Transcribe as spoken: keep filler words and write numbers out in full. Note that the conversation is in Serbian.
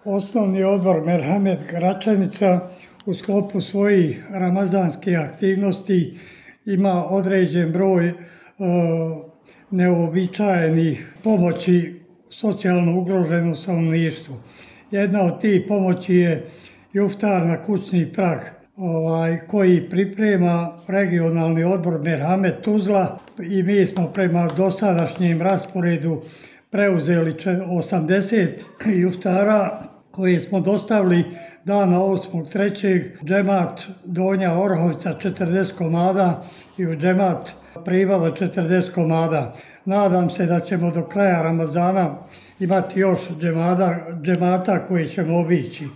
Osnovni odbor Merhamet Gračanica u sklopu svojih ramazanskih aktivnosti ima određen broj e, neuobičajenih pomoći socijalno ugroženom stanovništvu. Jedna od tih pomoći je iftar na kućni prag, ovaj, koji priprema regionalni odbor Merhamet Tuzla i mi smo prema dosadašnjem rasporedu preuzeli osamdeset iftara koje smo dostavili dana osmog trećeg džemat Donja Orahovica četrdeset komada i u džemat Pribava četrdeset komada. Nadam se da ćemo do kraja Ramazana imati još džemata koje ćemo obići.